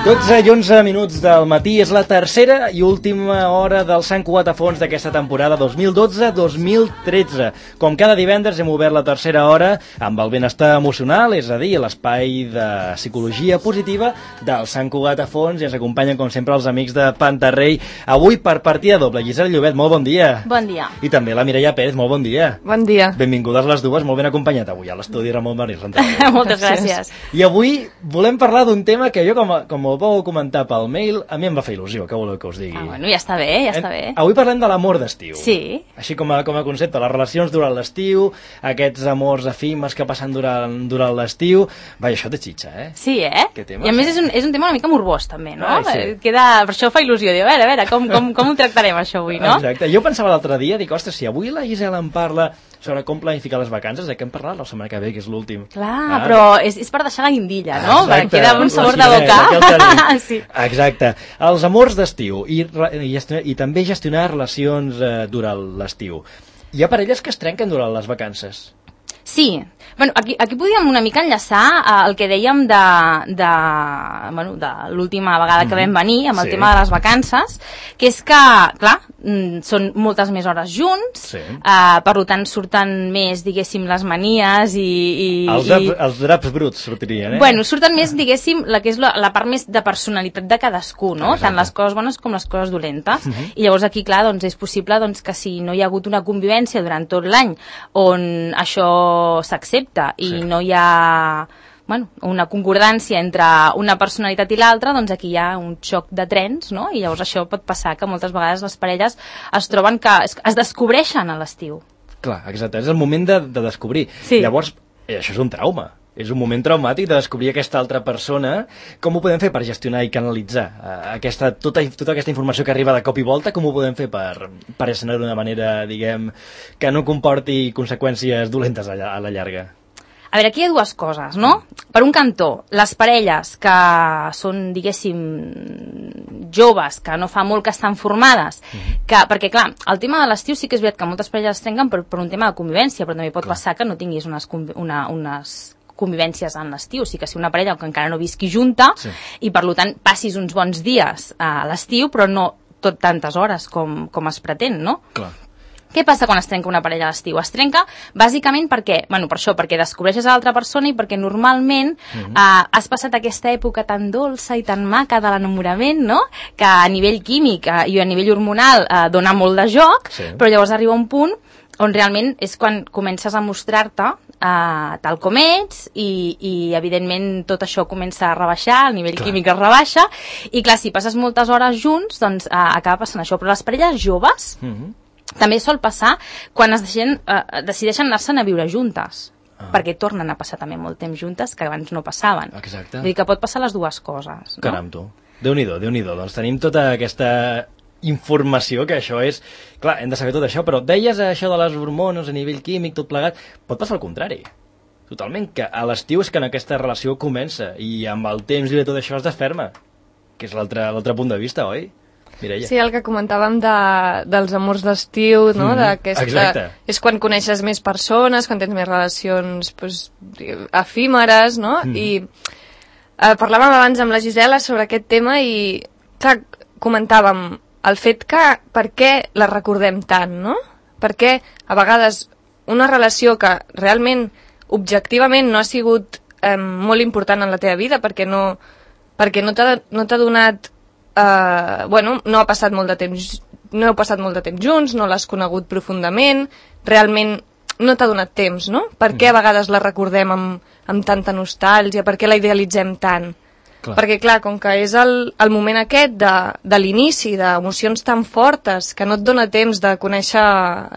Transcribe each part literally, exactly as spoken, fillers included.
dotze i onze minuts del matí, és la tercera i última hora del Sant Cugat a fons d'aquesta temporada dos mil dotze dos mil tretze. Com cada divendres hem obert la tercera hora amb el benestar emocional, és a dir, l'espai de psicologia positiva del Sant Cugat a fons, i ens acompanyen com sempre els amics de Pantarrei. Avui per partida doble, Gisela Llobet, molt bon dia. Bon dia. I també la Mireia Pérez, molt bon dia. Bon dia. Benvingudes les dues, molt ben acompanyat avui a l'estudi Ramon Marí. Moltes gràcies. I avui volem parlar d'un tema que jo, com, a, com ho vau comentar pel mail, a mi em va fer il·lusió, què voleu que us digui? Ah, bueno, ja està bé, ja està bé. Avui parlem de l'amor d'estiu. Sí. Així com a, com a concepte, les relacions durant l'estiu, aquests amors efímers que passen durant, durant l'estiu. Vaja, això té xitxa, eh? Sí, eh? Què tema, I a més sí. és un, és un tema una mica morbós, també, no? Ai, sí. Queda, per això fa il·lusió, diu, a veure, a veure, com, com, com ho tractarem això avui, no? Exacte. Jo pensava l'altre dia, dic, ostres, si avui la Gisela em parla sobre com planificar les vacances, de què hem parlat la setmana que ve, que és l'últim. Clar, ah, però és, és per deixar la guindilla, no? Exacte, Perquè queda un sabor la de boca. sí. Exacte. Els amors d'estiu i, i, i també gestionar relacions eh, durant l'estiu. Hi ha parelles que es trenquen durant les vacances. Sí, bueno, aquí, aquí podíem una mica enllaçar eh, el que dèiem de, de, bueno, de l'última vegada que vam venir amb el sí. tema de les vacances, que és que, clar, mm, són moltes més hores junts, sí. eh, per tant surten més, diguéssim, les manies i... i els, draps, i... els draps bruts sortirien, eh? Bueno, surten més, diguéssim, la que és la, la part més de personalitat de cadascú, no? Exacte. Tant les coses bones com les coses dolentes. Uh -huh. I llavors aquí, clar, doncs és possible doncs, que si no hi ha hagut una convivència durant tot l'any on això s'accepta i sí. no hi ha bueno, una concordància entre una personalitat i l'altra, doncs aquí hi ha un xoc de trens, no? I llavors això pot passar que moltes vegades les parelles es troben que es, es descobreixen a l'estiu. Clar, exacte, és el moment de, de descobrir. Sí. Llavors, eh, això és un trauma. És un moment traumàtic de descobrir aquesta altra persona. Com ho podem fer per gestionar i canalitzar eh, aquesta, tota, tota aquesta informació que arriba de cop i volta? Com ho podem fer per, per gestionar d'una manera, diguem, que no comporti conseqüències dolentes a la, a la llarga? A veure, aquí hi ha dues coses, no? Per un cantó, les parelles que són, diguéssim, joves, que no fa molt que estan formades, uh-huh. que, perquè, clar, el tema de l'estiu sí que és veritat que moltes parelles es trenquen per, per un tema de convivència, però també pot clar. passar que no tinguis unes, una, unes convivències en l'estiu, sí que si una parella que encara no visqui junta sí. i per tant passis uns bons dies a l'estiu, però no tot tantes hores com, com es pretén, no? Clar. Què passa quan es trenca una parella a l'estiu? Es trenca bàsicament perquè, bueno, per això, perquè descobreixes a l'altra persona i perquè normalment uh-huh. eh, has passat aquesta època tan dolça i tan maca de l'enamorament, no? Que a nivell químic eh, i a nivell hormonal eh, dona molt de joc, sí. però llavors arriba un punt on realment és quan comences a mostrar-te uh, tal com ets i, i evidentment tot això comença a rebaixar, el nivell clar. químic es rebaixa i clar, si passes moltes hores junts doncs uh, acaba passant això, però les parelles joves uh-huh. també sol passar quan es deixen, uh, decideixen anar-se'n a viure juntes ah. perquè tornen a passar també molt temps juntes que abans no passaven. Exacte. Vull dir que pot passar les dues coses, no? Caram, tu. Déu-n'hi-do, Déu-n'hi-do. Doncs tenim tota aquesta informació, que això és... Clar, hem de saber tot això, però deies això de les hormones a nivell químic, tot plegat, pot passar al contrari. Totalment, que a l'estiu és que en aquesta relació comença i amb el temps i tot això es desferma, que és l'altre punt de vista, oi? Mireia. Sí, el que comentàvem de, dels amors d'estiu, no? Mm, Exacte. És quan coneixes més persones, quan tens més relacions pues, efímeres, no? Mm. I eh, parlàvem abans amb la Gisela sobre aquest tema i, clar, comentàvem el fet que per què la recordem tant, no? Perquè a vegades una relació que realment objectivament no ha sigut eh, molt important en la teva vida perquè no, perquè no t'ha no t'ha donat eh, bueno, no ha passat molt de temps no heu passat molt de temps junts, no l'has conegut profundament, realment no t'ha donat temps, no? Per què a vegades la recordem amb, amb tanta nostàlgia, per què la idealitzem tant? Clar. Perquè, clar, com que és el, el moment aquest de, de l'inici, d'emocions tan fortes, que no et dona temps de conèixer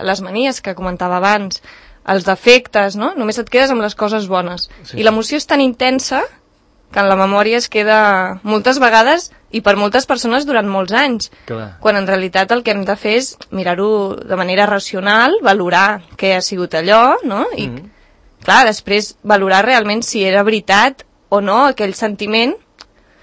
les manies que comentava abans, els defectes, no? Només et quedes amb les coses bones. Sí. I l'emoció és tan intensa que en la memòria es queda moltes vegades i per moltes persones durant molts anys. Clar. Quan en realitat el que hem de fer és mirar-ho de manera racional, valorar què ha sigut allò, no? I, mm-hmm. clar, després valorar realment si era veritat o no aquell sentiment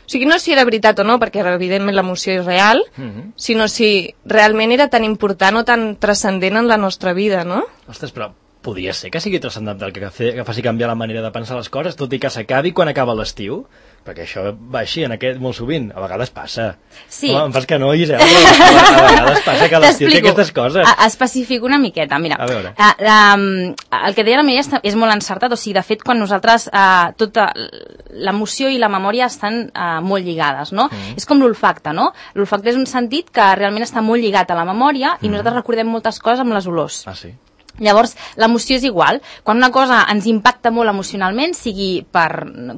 O sigui, no si era veritat o no, perquè evidentment l'emoció és real, mm-hmm. sinó si realment era tan important o tan transcendent en la nostra vida, no? Ostres, però podria ser que sigui transcendental, que, fe, que faci canviar la manera de pensar les coses, tot i que s'acabi quan acaba l'estiu, perquè això va així en aquest molt sovint, a vegades passa. Sí. Home, em fas que no, Gisela, a vegades passa que l'estiu té aquestes coses. Especifico una miqueta, mira. A veure. Uh, um, el que deia la Mireia és molt encertat, o sigui, de fet, quan nosaltres, uh, tota l'emoció i la memòria estan uh, molt lligades, no? Mm. És com l'olfacte, no? L'olfacte és un sentit que realment està molt lligat a la memòria i mm. nosaltres recordem moltes coses amb les olors. Ah, sí? Llavors, l'emoció és igual. Quan una cosa ens impacta molt emocionalment, sigui per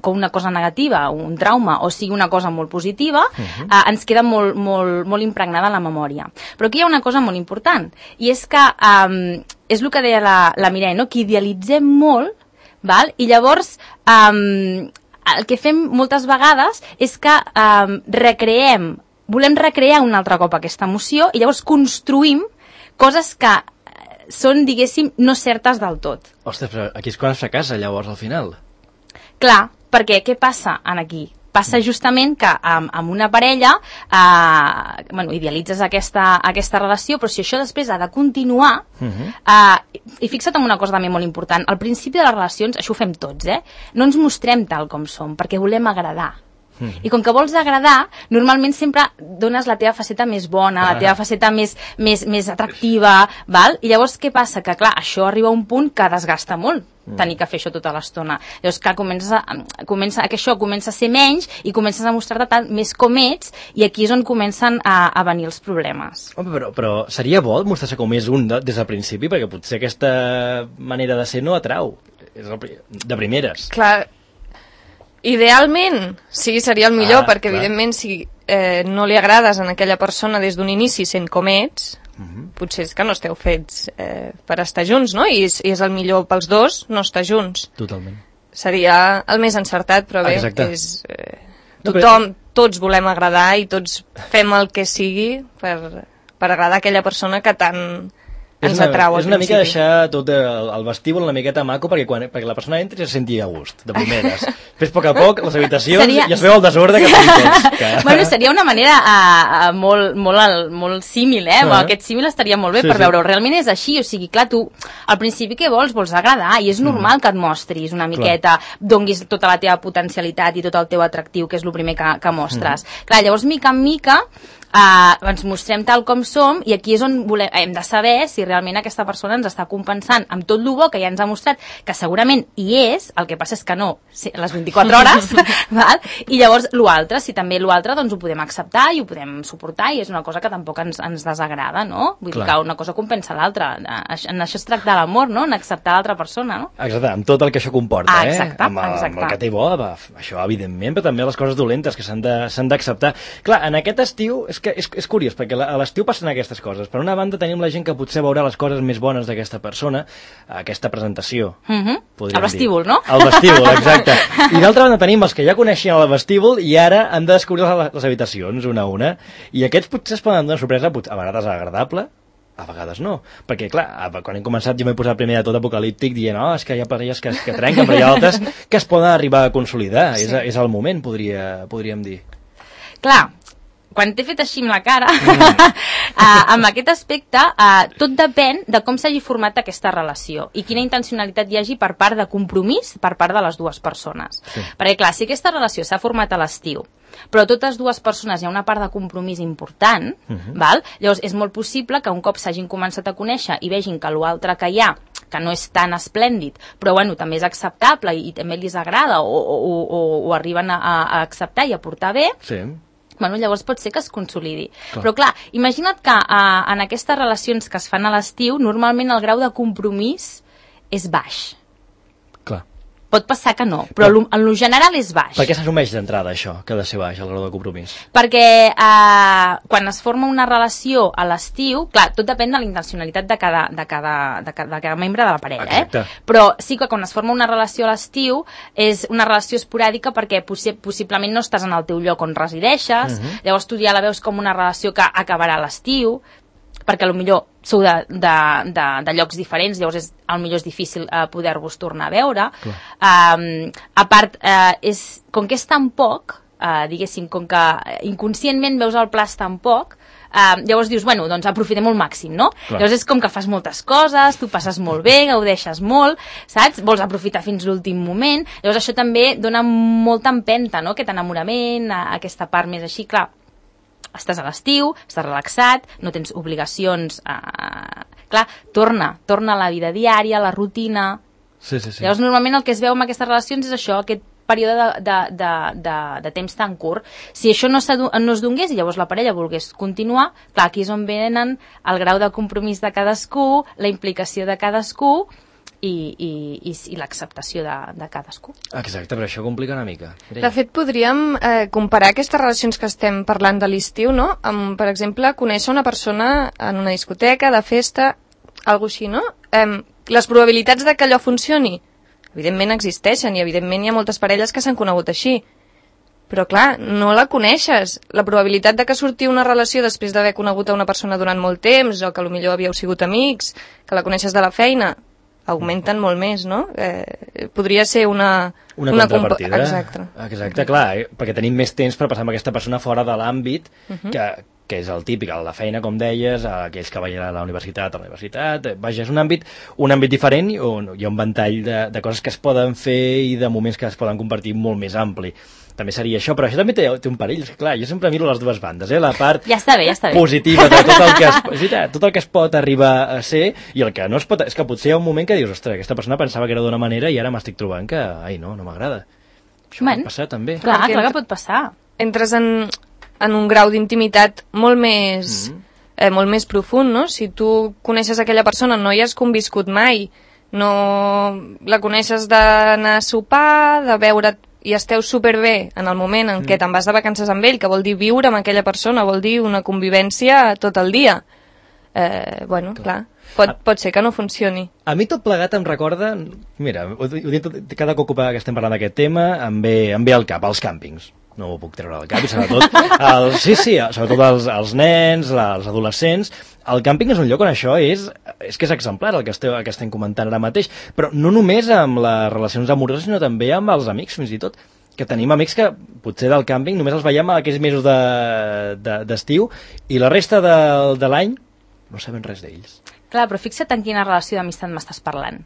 com una cosa negativa, un trauma, o sigui una cosa molt positiva, uh-huh. eh, ens queda molt, molt, molt impregnada la memòria. Però aquí hi ha una cosa molt important, i és que eh, és el que deia la, la Mireia, no? Que idealitzem molt, val? I llavors eh, el que fem moltes vegades és que eh, recreem, volem recrear un altre cop aquesta emoció, i llavors construïm coses que són, diguéssim, no certes del tot. Ostres, però aquí és quan es fracassa, llavors, al final. Clar, perquè què passa en aquí? Passa justament que amb, amb una parella eh, bueno, idealitzes aquesta, aquesta relació, però si això després ha de continuar, uh-huh. eh, i fixa't en una cosa també molt important, al principi de les relacions, això ho fem tots, eh? No ens mostrem tal com som, perquè volem agradar. I com que vols agradar, normalment sempre dones la teva faceta més bona, ah. la teva faceta més, més, més atractiva, val? I llavors què passa? Que clar, això arriba a un punt que desgasta molt, mm. tenir que fer això tota l'estona. Llavors clar, comença, comença, que això comença a ser menys i comences a mostrar-te tant més com ets, i aquí és on comencen a, a venir els problemes. Home, però, però seria bo mostrar-se com és un de, des del principi, perquè potser aquesta manera de ser no atrau, és el, de primeres. Clar, idealment, sí, seria el millor, ah, perquè clar. Evidentment si eh, no li agrades a aquella persona des d'un inici sent com ets, uh-huh. potser és que no esteu fets eh, per estar junts, no? I és, i és el millor pels dos no estar junts. Totalment. Seria el més encertat, però bé, Exacte. és, eh, tothom, tots volem agradar i tots fem el que sigui per, per agradar a aquella persona que tant ens una, atrau al És una principi. mica deixar tot el, el vestíbul una miqueta maco perquè, quan, perquè la persona entri se senti a gust, de primeres. Després, a poc a poc, les habitacions seria... i es veu el desordre que fem que... Bueno, seria una manera uh, uh, molt, molt, molt símil, eh? Uh-huh. Aquest símil estaria molt bé sí, per sí. veure. Realment és així, o sigui, clar, tu al principi què vols? Vols agradar, i és normal mm. que et mostris una miqueta, clar. Donguis tota la teva potencialitat i tot el teu atractiu, que és el primer que, que mostres. Mm. Clar, llavors, mica en mica, Uh, ens mostrem tal com som, i aquí és on volem, hem de saber si realment aquesta persona ens està compensant amb tot el bo que ja ens ha mostrat, que segurament hi és, el que passa és que no les vint-i-quatre hores, val? I llavors l'altre, si també l'altre, doncs ho podem acceptar i ho podem suportar, i és una cosa que tampoc ens, ens desagrada, no? Vull Clar. dir que una cosa compensa l'altra, en això es tracta l'amor, no? En acceptar l'altra persona, no? Exacte, amb tot el que això comporta, ah, exacte, eh? Amb el, exacte. amb el que té bo, va, això evidentment, però també les coses dolentes que s'han d'acceptar. Clar, en aquest estiu és que és, és curiós, perquè a l'estiu passen aquestes coses. Per una banda tenim la gent que potser veurà les coses més bones d'aquesta persona, aquesta presentació. Mm-hmm. El vestíbul, dir. no? El vestíbul, exacte. I d'altra banda tenim els que ja coneixien el vestíbul i ara han de descobrir les, les habitacions una a una, i aquests potser es poden donar una sorpresa, a vegades agradable, a vegades no, perquè clar, quan hem començat jo m'he posat primer de tot apocalíptic dient, oh, és que hi ha parelles que, que trenquen, però hi ha altres que es poden arribar a consolidar, sí. és, és el moment, podria, podríem dir. Clar, quan t'he fet així amb la cara, mm. uh, amb aquest aspecte, uh, tot depèn de com s'hagi format aquesta relació i quina intencionalitat hi hagi per part de compromís per part de les dues persones. Sí. Perquè clar, si aquesta relació s'ha format a l'estiu, però totes dues persones hi ha una part de compromís important, uh-huh. val? Llavors és molt possible que un cop s'hagin començat a conèixer i vegin que l'altre que hi ha, que no és tan esplèndid, però bueno, també és acceptable i, i també els agrada o, o, o, o arriben a, a acceptar i a portar bé, sí. Bueno, llavors pot ser que es consolidi. Clar. Però clar, imagina't que uh, en aquestes relacions que es fan a l'estiu, normalment el grau de compromís és baix. Clar. Pot passar que no, però no. En lo general és baix. Per què s'assumeix d'entrada això, que ha de ser baix, el grau de compromís? Perquè eh, quan es forma una relació a l'estiu, clar, tot depèn de la intencionalitat de cada, de cada, de cada, de cada membre de la parella, Exacte. eh? Però sí que quan es forma una relació a l'estiu és una relació esporàdica perquè possi possiblement no estàs en el teu lloc on resideixes, uh-huh. llavors tu ja la veus com una relació que acabarà a l'estiu, perquè potser sou de, de, de, de llocs diferents, llavors és, potser és difícil eh, poder-vos tornar a veure. Um, a part, eh, és, com que és tan poc, uh, diguéssim, com que inconscientment veus el plaç tan poc, Uh, llavors dius, bueno, doncs aprofitem al màxim, no? Clar. Llavors és com que fas moltes coses, tu passes molt bé, gaudeixes molt, saps? Vols aprofitar fins l'últim moment, llavors això també dona molta empenta, no? Aquest enamorament, aquesta part més així, clar, estàs a l'estiu, estàs relaxat, no tens obligacions, uh, clar, torna, torna a la vida diària, a la rutina. Sí, sí, sí. Llavors normalment el que es veu amb aquestes relacions és això, aquest període de, de, de, de, de temps tan curt. Si això no, no es donés i llavors la parella volgués continuar, clar, aquí és on venen el grau de compromís de cadascú, la implicació de cadascú i, i, i, i l'acceptació de, de cadascú. Exacte, però això complica una mica. Mireia. De fet, podríem eh, comparar aquestes relacions que estem parlant de l'estiu, no? Amb, per exemple, conèixer una persona en una discoteca, de festa, alguna així, no? Eh, les probabilitats de que allò funcioni evidentment existeixen i evidentment hi ha moltes parelles que s'han conegut així. Però clar, no la coneixes. La probabilitat de que surti una relació després d'haver conegut a una persona durant molt temps o que potser havíeu sigut amics, que la coneixes de la feina, augmenten molt més, no? Eh, podria ser una... Una, una contrapartida. Exacte. Exacte, clar, eh? Perquè tenim més temps per passar amb aquesta persona fora de l'àmbit uh -huh. que, que és el típic, el de feina, com deies, aquells que vayan a la universitat, a la universitat... Vaja, és un àmbit, un àmbit diferent on hi ha un ventall de, de coses que es poden fer i de moments que es poden compartir molt més ampli. També seria això, però això també té, té un perill. És que, clar, jo sempre miro les dues bandes, eh? La part ja està bé, ja està bé. positiva de tot el, que es, tot el que es pot arribar a ser i el que no es pot... És que potser hi ha un moment que dius, ostres, aquesta persona pensava que era d'una manera i ara m'estic trobant que, ai, no, no m'agrada. Això bueno, pot passar també. Clar, clar que pot passar. Entres en, en un grau d'intimitat molt més, mm -hmm. eh, molt més profund, no? Si tu coneixes aquella persona, no hi has conviscut mai, no la coneixes d'anar a sopar, de veure't i esteu superbé en el moment en què te'n vas de vacances amb ell, que vol dir viure amb aquella persona, vol dir una convivència tot el dia. Eh, bueno, clar, clar pot, pot ser que no funcioni. A mi tot plegat em recorda, mira, ho, ho dic, cada cop que estem parlant d'aquest tema em ve, em ve al cap, els càmpings. No m'ho puc treure al cap, i sobretot, el, sí, sí, sobretot els, els nens, la, els adolescents. El càmping és un lloc on això és, és que és exemplar, el que, esteu, el que estem comentant ara mateix, però no només amb les relacions amoroses, sinó també amb els amics, fins i tot, que tenim amics que potser del càmping només els veiem aquells mesos d'estiu de, de, i la resta de, de l'any no sabem res d'ells. Clar, però fixa't en quina relació d'amistat m'estàs parlant.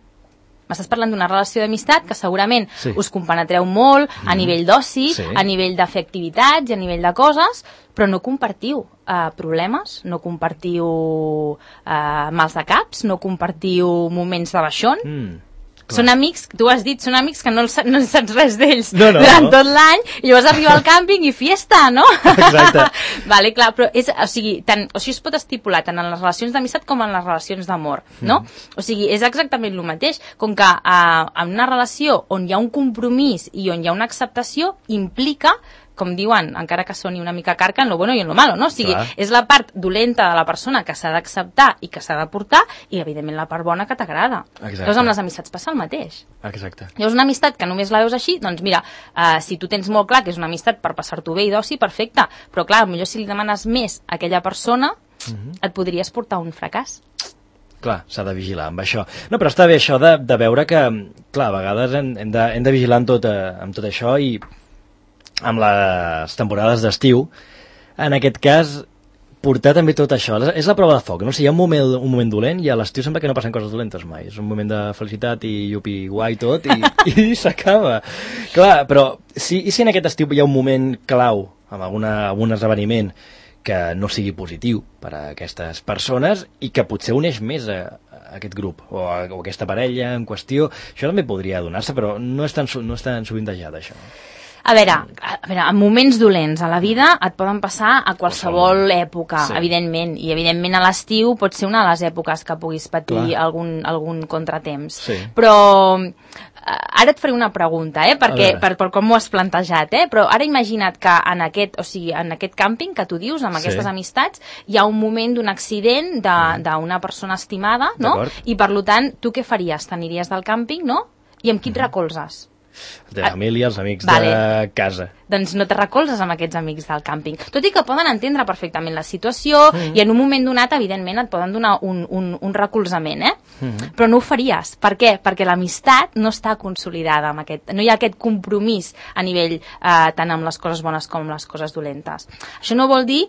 M'estàs parlant d'una relació d'amistat que segurament sí. us compenetreu molt mm. a nivell d'oci, sí. a nivell de fer activitats i a nivell de coses, però no compartiu uh, problemes, no compartiu uh, mals de caps, no compartiu moments de baixón. Mm. Clar. Són amics, tu has dit, són amics que no, no saps res d'ells no, no, durant no. tot l'any i llavors arriba al càmping i fiesta, no? Exacte. Vale, clar, però és, o sigui, tant, o sigui, es pot estipular tant en les relacions d'amistat com en les relacions d'amor, no? Mm. O sigui, és exactament el mateix, com que eh, en una relació on hi ha un compromís i on hi ha una acceptació implica, com diuen, encara que soni una mica carca, en lo bueno i en lo malo, no? O sigui, clar. És la part dolenta de la persona que s'ha d'acceptar i que s'ha de portar i, evidentment, la part bona que t'agrada. Llavors, amb les amistats passa el mateix. Exacte. Llavors, una amistat que només la veus així, doncs mira, uh, si tu tens molt clar que és una amistat per passar-t'ho bé i d'oci, perfecte, però clar, potser si li demanes més a aquella persona, uh-huh. et podries portar un fracàs. Clar, s'ha de vigilar amb això. No, però està bé això de, de veure que, clar, a vegades hem, hem, de, hem de vigilar amb tot, eh, amb tot això i amb les temporades d'estiu, en aquest cas, portar també tot això. És la prova de foc, no? Si hi ha un moment, un moment dolent i a l'estiu sembla que no passen coses dolentes mai. És un moment de felicitat i yupi guai tot i, i s'acaba. Clar, però si, i si en aquest estiu hi ha un moment clau, amb alguna, algun esdeveniment que no sigui positiu per a aquestes persones i que potser uneix més a, a aquest grup o a, o a aquesta parella en qüestió, això també podria donar-se, però no és tan, no és tan sovintejat, això. A veure, a veure, en moments dolents a la vida et poden passar a qualsevol època, sí. evidentment, i evidentment a l'estiu pot ser una de les èpoques que puguis patir algun, algun contratemps. Sí. Però ara et faré una pregunta, eh, perquè, per, per com m'ho has plantejat, eh, però ara imagina't que en aquest, o sigui, en aquest càmping que tu dius, amb aquestes sí. amistats, hi ha un moment d'un accident d'una persona estimada, no? I per tant, tu què faries? T'aniries del càmping, no? I amb qui et recolzes? De família, els amics Vale. de casa. Doncs no te recolzes amb aquests amics del càmping. Tot i que poden entendre perfectament la situació mm. i en un moment donat, evidentment, et poden donar un, un, un recolzament, eh? Mm. Però no ho faries. Per què? Perquè l'amistat no està consolidada amb aquest... No hi ha aquest compromís a nivell eh, tant amb les coses bones com les coses dolentes. Això no vol dir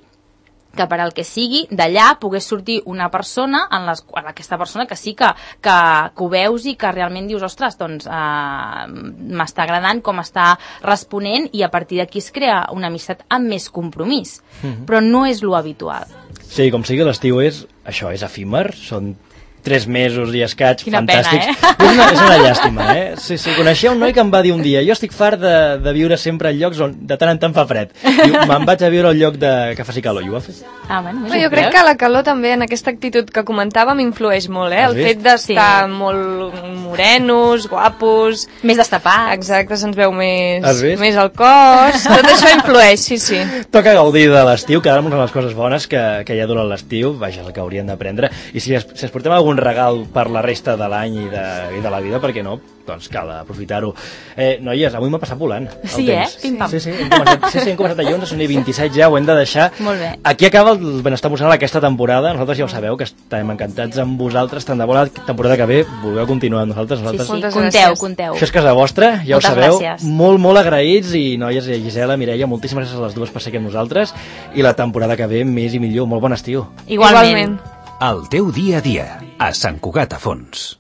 que per al que sigui, d'allà pogués sortir una persona, en les, en aquesta persona que sí que, que, que ho veus i que realment dius, ostres, doncs eh, m'està agradant com està responent i a partir d'aquí es crea una amistat amb més compromís. Mm-hmm. Però no és lo habitual. Sí, com sigui, l'estiu és, això, és efímer, són tres mesos i escaig, Quina fantàstics. Pena, eh? És una, és una llàstima, eh? Sí, sí, coneixia un noi que em va dir un dia, jo estic fart de, de viure sempre en llocs on de tant en tant fa fred. Diu, me'n vaig a viure al lloc de, que faci calor, i ho va fer. Ah, bueno, Però jo crec que la calor també en aquesta actitud que comentàvem influeix molt, eh? Has El vist? fet d'estar Sí. molt morenos, guapos... Més destapats. Exacte, se'ns veu més, Has vist? més el cos... Tot això influeix, sí, sí. Toca gaudir de l'estiu, quedar-nos amb les coses bones que, que hi ha durant l'estiu, vaja, el que haurien d'aprendre. I si es, si es portem algun regal per la resta de l'any i, de, i de la vida, per què no? Doncs cal aprofitar-ho. Eh, noies, avui m'ha passat volant el Sí, temps. eh? Pim-pam. Sí, sí, hem començat, sí, sí, hem començat a onze, són vint-i-set ja, ho hem de deixar. Molt bé. Aquí acaba el benestar emocional aquesta temporada. Nosaltres ja ho sabeu, que estem encantats amb vosaltres. Tant de bo la temporada que ve vulgueu continuar amb nosaltres. Sí, nosaltres... sí, Moltes conteu, gràcies. conteu. Això és casa vostra, ja Moltes ho sabeu. gràcies. Molt, molt agraïts i noies, i Gisela, Mireia, moltíssimes gràcies a les dues per ser aquí amb nosaltres i la temporada que ve més i millor. Molt bon estiu. Igualment. Igualment. El teu dia a dia, a Sant Cugat a Fons.